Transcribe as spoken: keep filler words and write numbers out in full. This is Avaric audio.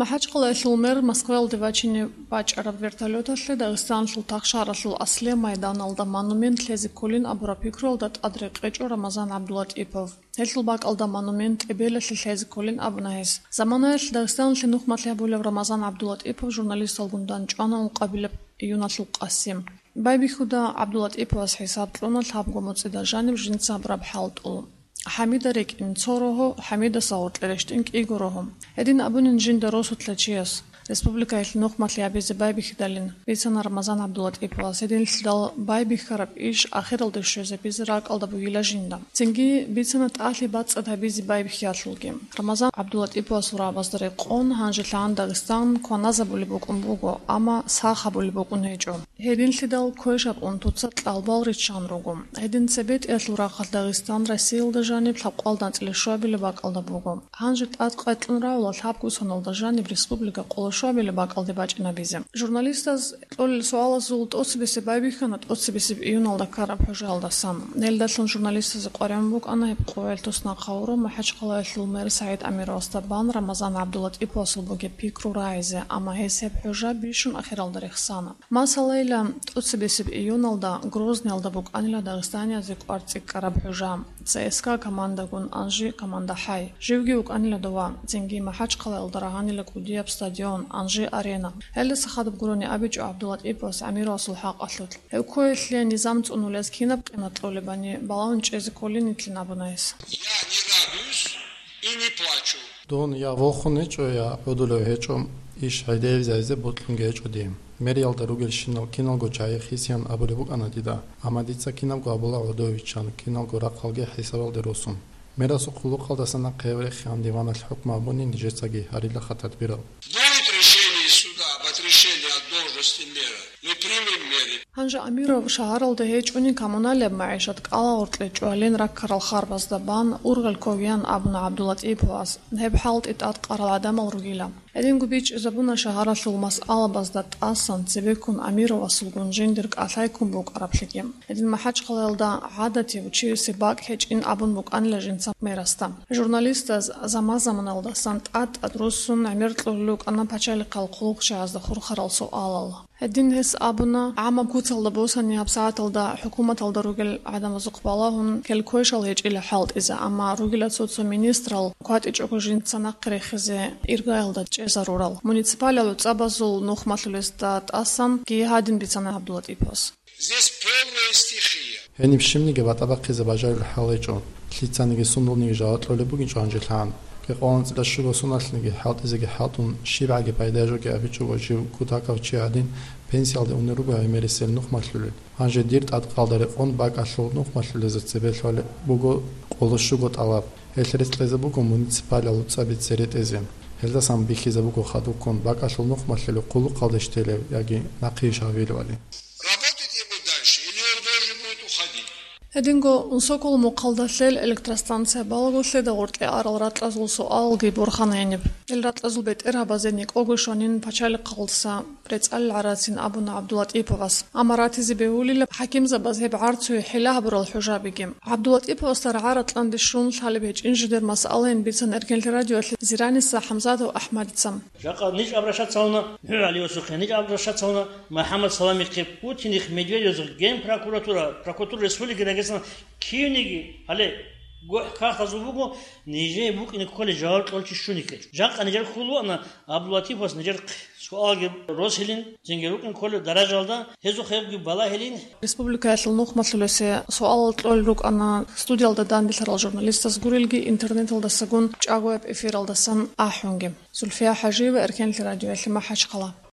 МахӀачхъалаялъул мэр Москваялде вачине бачӀараб вертолеталъе Дагъистаналъул тахшаралъул аслияб майданалда монумент лъезе кколин абураб пикруялда тӀад рекъечӀо Рамазан ГӀабдулатӀипов. Гьелъул бакӀалда монумент тӀебелалъе лъезе кколин абуна гьес. Заманаялъ Дагъистаналъе нухмалъи гьабулев Рамазан ГӀабдулатӀипов журналисталгун дандчӀвана ункъабилеб июналъул къасим. Байбихьуда ГӀабдулатӀиповас хӀисаб кьуна лъабго моцӀида жаниб жинца гьабураб хӀалтӀул. ХӀамида рекӀин цо рогьо, ХӀамидаса гъоркье рещтӀин кӀиго рогьо. Гьедин абунин жинда росулъа чияс, республикаялъе нухмалъи гьабизе байбихьидалин, бицана Рамазан ГӀабдулатӀиповас. Гьединлъидал байбихьараб иш ахиралде щвезабизе ракӀалда бугила жинда. Цинги бицана тӀалъи бацӀцӀад гьабизе байбихьиялъулги. Рамазан ГӀабдулатӀиповасул рагӀабазда рекъон, гьанже лъагӀан Дагъистан кваназабулеб букӀун буго, амма сах гьабулеб букӀун гьечӀо. Гьединлъидал квешаб унтуца кьалбал риччан руго. Гьедин цебетӀиялъул рахъалъ Дагъистан Россиялда жаниб лъабкъоялда анцӀила щуабилеб бакӀалда буго. Гьанже тӀад къайкьун рагӀула лъабго соналда жаниб республика къоло щуабилеб бакӀалде бачӀинабизе. Журналистаз кьолел суалазул тӀоцебесеб байбихьана тӀоцебесеб июналда ккараб хӀужаялдасан. Гьелдалъун журналистазе къваригӀун букӀана гьеб къоялъ туснахъ гьавурав МахӀачхъалаялъул мэр СагӀид Амировасда бан Рамазан ГӀабдулатӀиповасул бугеб пикру рагӀизе, амма гьес гьеб хӀужа бищун ахиралда рехсана. Масалайила, тӀоцебесеб июналда Грозныйалда букӀанила дагъистаниязе кӀвар цӀикӀкӀараб хӀужа, ЦСКА командагун, Анжи команда хӀай. Живги вукӀанила дова, цинги МахӀачхъалаялда рагьанила кӀудияб стадион, Анжи-арена. Гьелдаса хадуб гурони абичӀо ГӀабдулатӀиповас Амировасул хӀакъалъулъ. Гьев ккоялъе низам цӀунулез кинаб къимат кьолебани балагьун чӀезе кколин итлъин абуна гьес. Я не радуюсь и не плачу. Дун я вохун гьечӀо, я гӀодулев гьечӀо, иш гӀедегӀизайзе бокьунги гьечӀо дие. Мэриялда ругелщинал киналго чагӀи хисиян абулеб букӀана дида, амма дица кинабго абула гӀодовиччан, киналго рахъалги хӀисабалде росун. Мерасул хъулухъалдаса нахъе гьев рехиан диваналъ хӀукму гьабуни нижецаги гьарилаха тадбирал. Будет решение суда об отрешении от должности мэра. Мы примем меры. Гьанже Амиров шагьаралда гьечӀони коммуналияб магӀишат кӀалагъоркье чӀвалин раккарал харбазда бан ургъел ккогиян абуна ГӀабдулатӀиповас, гьеб хӀалтӀи тӀадкъарал гӀадамал ругила. Гьединго бичӀчӀизабуна шагьаралъул масъалабазда тӀасан цебеккун Амировасулгун жиндир кӀалъай ккун букӀараблъиги. Гьедин МахӀачхъалаялда гӀадатив, чиясе бакӀ гьечӀин абун букӀанила жинца мерасда. Журналистаз заман-заманалдасан тӀад-тӀад руссун гӀемер кьулел рукӀана пачалихъал хъулухъчагӀазда хурхарал суалал. Гьедин гьес абуна, гӀамаб куцалда босани гьабсагӀаталда хӀукуматалда ругел гӀадамазухъ балагьун, кел-квешал гьечӀила хӀалтӀизе, амма ругила цо-цо министрал кватӀичӀого жинца нахъе рехизе иргаялда чӀезарурал. Муниципалияб гӀуцӀабазул нухмалъулезда тӀасан гьадин бицана ГӀабдулатӀиповас. Здесь полная стихия. Гьениб щибниги батӀа бахъизе бажарулел хӀал гьечӀо, лъицаниги сундулниги жаваб кьолеб бугинчӀо гьанжелъан. Кьекъоялда анцӀила щуго соналъниги хӀалтӀизеги хӀалтӀун, щибгӀаги пайда жоги абичӀого жив кутакав чи гӀадин, пенсиялде унел руго гӀемерисел нухмалъулел. Гьанже дир тӀадкъалда рекъон бакӀалъул нухмалъулезда цебе лъолеб буго къоло щуго тӀалаб. Гьелъ рецӀ кьезе буго муниципалияб гӀуцӀаби цере тӀезе. Гьелдасан бихьизе буго хадубккун бакӀалъул нухмалъулев хъулухъалдеж телев яги нахъе иш гьавилевали. Работать ему дальше или он должен будет уходить? Гьединго Унсокол мухъалда лъел электростанция балаго лъеда гъоркье арал ракьазул суалалги борхана гьениб. Ил ракьазул бетӀергьабазе некӀого щванин пачалихъалдаса рецӀалил гӀарацин абуна ГӀабдулатӀиповас. Амма ратизе бегьулила хӀакимзабаз гьеб гӀарцуе хӀила гьабурал хӀужабиги. ГӀабдулатӀиповасда рагӀа ратӀланде щун лъалеб гьечӀин жидер масъалаин бицана Эркенлъи радиоялъе Зираниса ХӀамзатов АхӀмадица. Жакъа ниж обращаться гьавуна, ГӀалиосухъе ниж обращаться гьавуна, МухӀаммад Саламихъе, Путинихъ, Медведевзухъ, Генпрокуратура, прокуратура республики Дагестан, кивниги, гьале, гохӀ кагътазул буго, нижее букӀине кколей жаваб кьолчи щунике. Жакъа нижер хьул вуана Абдулатиповас нижер суалги росилин, цинги рукӀин кколеб даражалда, гьезухъ гьебги балагьилин. Республикаялъул нухмалъулесе суалал кьолел рукӀана студиялда данделъарал журналистаз гурелги интернеталдасагун чӀагояб эфиралдасан ахӀунги. Зульфия ХӀажиева, Эркенлъи радиоялъе, МахӀачхъала.